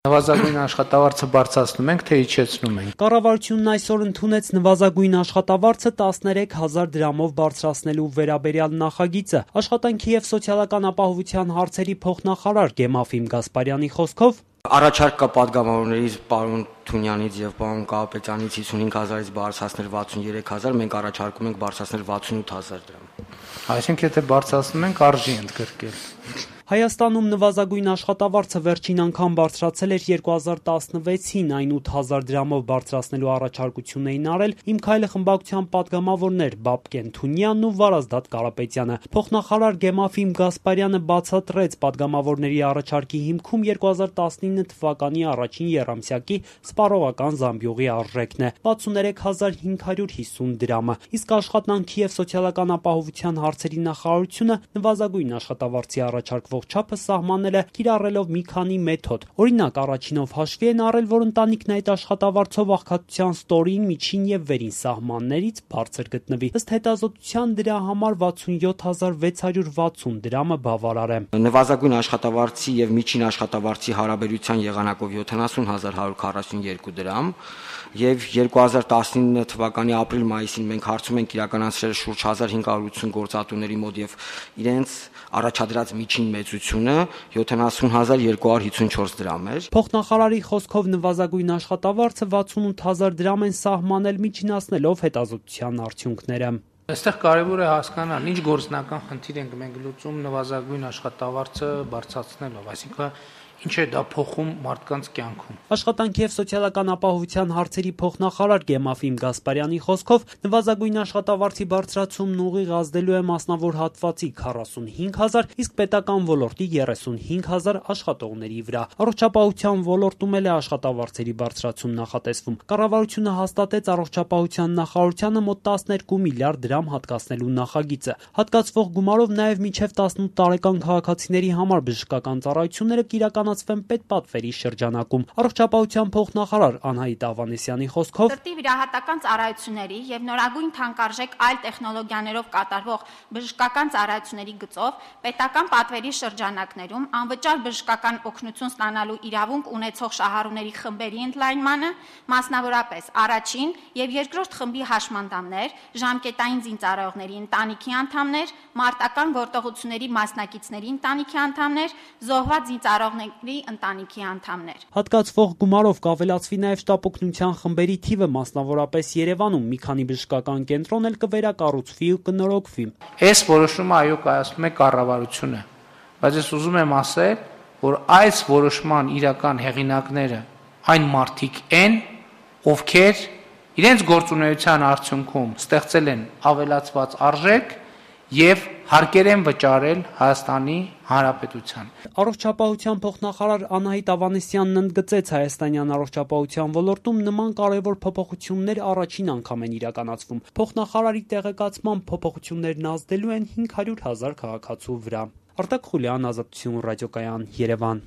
Նվազագույն աշխատավարձը բարձրացնում ենք, թե իջեցնում ենք։ Կառավարությունն այսօր ընդունեց նվազագույն աշխատավարձը 13,000 դրամով բարձրացնելու վերաբերյալ նախագիծը։ Աշխատանքի եւ սոցիալական ապահովության հարցերի փոխնախարար Գեմաֆիմ Գասպարյանի խոսքով առաջարկ կա պատգամավորներից պարոն Թունյանից եւ պարոն Կարապետյանից 55,000-ից բարձրացնել 63,000, մենք առաջարկում ենք բարձրացնել 68,000 դրամ։ Այսինքն, եթե բարձրացնում ենք, արժի ընդգրկել։ Հայաստանում նվազագույն աշխատավարձը վերջին անգամ բարձրացել էր 2016-ին, այն 8,000 դրամով բարձրացնելու առաջարկություն էին արել «Իմ քայլը» խմբակցության падգամավորներ Բաբկեն Թունյանն ու Վարազդատ Կարապետյանը։ Փոխնախարար Գեմաֆիմ Գասպարյանը բացատրեց падգամավորների առաջարկի հիմքում 2019 թվականի առաջին եռամսյակի սպառողական զամբյուղի արժեքն է՝ 63,550 դրամը, իսկ աշխատանքի եւ սոցիալական ապահովության հարցերի նախարարությունը նվազագույն աշխատավարձի առաջարկվող չափը սահմանել է կիրառելով մի քանի մեթոդ։ Օրինակ, առաջինով հաշվի են առել, որ ընտանիքն այդ աշխատավարձով աղքատության ստորին, միջին եւ վերին սահմաններից բարձր գտնվի։ Ըստ հետազոտության դրա համար 67,660 դրամը բավարար է։ Նվազագույն աշխատավարձի եւ միջին աշխատավարձի հարաբերության եղանակով 70,142 դրամ եւ 2019 թվականի ապրիլ-մայիսին մենք հարցում ենք իրականացրել շուրջ 1580 գործատուների մոտ եւ իրենց առաջադրած միջին մեծությունը 70,254 դրամ էր։ Փոխնախարարի խոսքով նվազագույն աշխատավարձը 68,000 դրամ են սահմանել միջինացնելով հետազոտության արդյունքները։ Այստեղ կարևոր է հասկանալ, ինչ գործնական խնդիր ենք մենք լուծում նվազագույն աշխատավարձը բարձրացնելով, այսինքն ինչ է դա փոխում մարդկանց կյանքում։ Աշխատանքի եւ սոցիալական ապահովության հարցերի փոխնախարար Գեմաֆիմ Գասպարյանի խոսքով նվազագույն աշխատավարձի բարձրացումն ուղիղ ազդելու է մասնավոր հատվածի 45,000, իսկ պետական ոլորտի 35,000 աշխատողների վրա։ Առողջապահության ոլորտում էլ է աշխատավարձերի բարձրացում նախատեսվում։ Կառավարությունը հաստատեց առողջապահության նախարարությանը մոտ 12 միլիարդ դրամ հատկացնելու նախագիծը։ Հատկացվող գումարով նաեւ մինչեւ 18 տարեկան քաղաքացիների համար բժշկական ծառայությունները կիրականացվեն պետպատվերի շրջանակում։ Առողջապահության փոխնախարար Անահիտ Ավանեսյանի խոսքով Սրտի վիրահատական ծառայությունների եւ նորագույն թանկարժեք այլ տեխնոլոգիաներով կատարվող բժշկական ծառայությունների գծով պետական պատվերի շրջանակներում անվճար բժշկական օգնություն ստանալու իրավունք ունեցող շահառուների խմբերի ընդլայնմանը, մասնավորապես առաջին եւ երկրորդ խմբի հաշմանդամներ, ժամկետային զինծառայողների ընտանիքի անդամներ, մարտական գործողությունների մասնակիցների ընտանիքի անդամներ, զոհված զինծառայողների ընտանիքի անդամներ։ Հատկացվող գումարով կավելացվի նաև շտապօգնության խմբերի թիվը, մասնավորապես Երևանում մի քանի բժշկական կենտրոն էլ կվերակառուցվի ու կնորոգվի։ Այս որոշումը այո կայացնում է կառավարությունը, բայց ես ուզում եմ ասել, որ այս որոշման իրական հեղինակները այն մարդիկ են, ովքեր իրենց գործունեության արդյունքում ստեղծել են ավելացված արժեք եւ հարկեր են վճարել Հայաստանի Հանրապետության։ Առողջապահության փոխնախարար Անահիտ Ավանեսյանն ընդգծեց, հայաստանյան առողջապահության ոլորտում նման կարևոր փոփոխություններ առաջին անգամ են իրականացվում։ Փոխնախարարի տեղեկացմամբ փոփոխություններն ազդելու են 500,000 քաղաքացու վրա։ Արտակ Խուլյան, Ազատություն ռադիոկայան, Երևան։